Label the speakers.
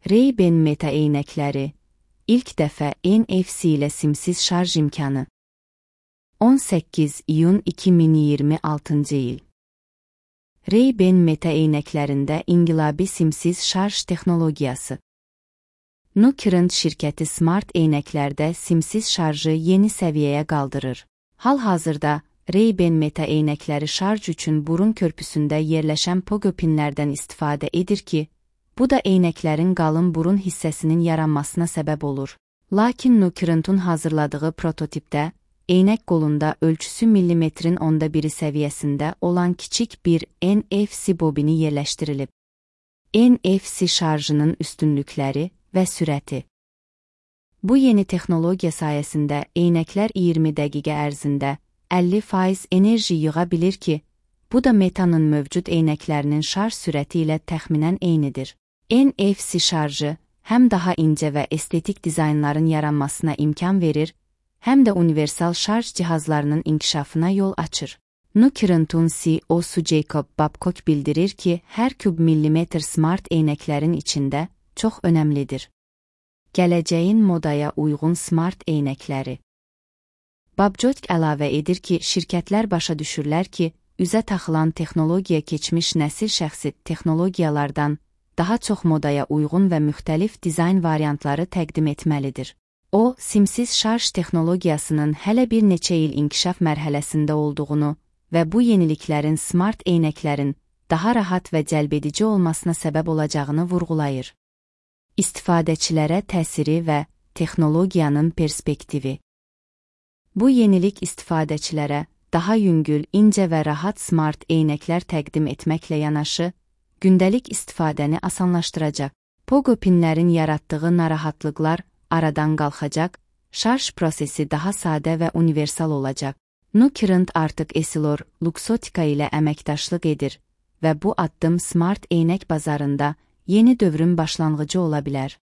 Speaker 1: Ray-Ban Meta eynəkləri, ilk dəfə NFC ilə simsiz şarj imkanı. 18 iyun 2026-cı il. Ray-Ban Meta eynəklərində inqilabi simsiz şarj texnologiyası. Nucurrent şirkəti smart eynəklərdə simsiz şarjı yeni səviyyəyə qaldırır. Hal-hazırda Ray-Ban Meta eynəkləri şarj üçün burun körpüsündə yerləşən pogo pinlərdən istifadə edir ki, bu da eynəklərin qalın burun hissəsinin yaranmasına səbəb olur. Lakin Nucurrent'un hazırladığı prototipdə, eynək qolunda ölçüsü millimetrin 1/10 səviyyəsində olan kiçik bir NFC bobini yerləşdirilib. NFC şarjının üstünlükləri və sürəti. Bu yeni texnologiya sayəsində eynəklər 20 dəqiqə ərzində 50% enerji yığa bilir ki, bu da Meta'nın mövcud eynəklərinin şarj sürəti ilə təxminən eynidir. NFC şarjı həm daha incə və estetik dizaynların yaranmasına imkan verir, həm də universal şarj cihazlarının inkişafına yol açır. Nucurrent'un CEO-su Jacob Babcock bildirir ki, hər küb millimetr smart eynəklərin içində çox önəmlidir. Gələcəyin modaya uyğun smart eynəkləri. Babcock əlavə edir ki, şirkətlər başa düşürlər ki, üzə taxılan texnologiya keçmiş nəsil şəxsi texnologiyalardan daha çox modaya uyğun və müxtəlif dizayn variantları təqdim etməlidir. O, simsiz şarj texnologiyasının hələ bir neçə il inkişaf mərhələsində olduğunu və bu yeniliklərin smart eynəklərin daha rahat və cəlbedici olmasına səbəb olacağını vurğulayır. İstifadəçilərə təsiri və texnologiyanın perspektivi. Bu yenilik istifadəçilərə daha yüngül, incə və rahat smart eynəklər təqdim etməklə yanaşı, gündəlik istifadəni asanlaşdıracaq. Pogo pinlərin yaratdığı narahatlıqlar aradan qalxacaq, şarj prosesi daha sadə və universal olacaq. Nucurrent artıq Essilor Luxottica ilə əməkdaşlıq edir və bu addım smart eynək bazarında yeni dövrün başlanğıcı ola bilər.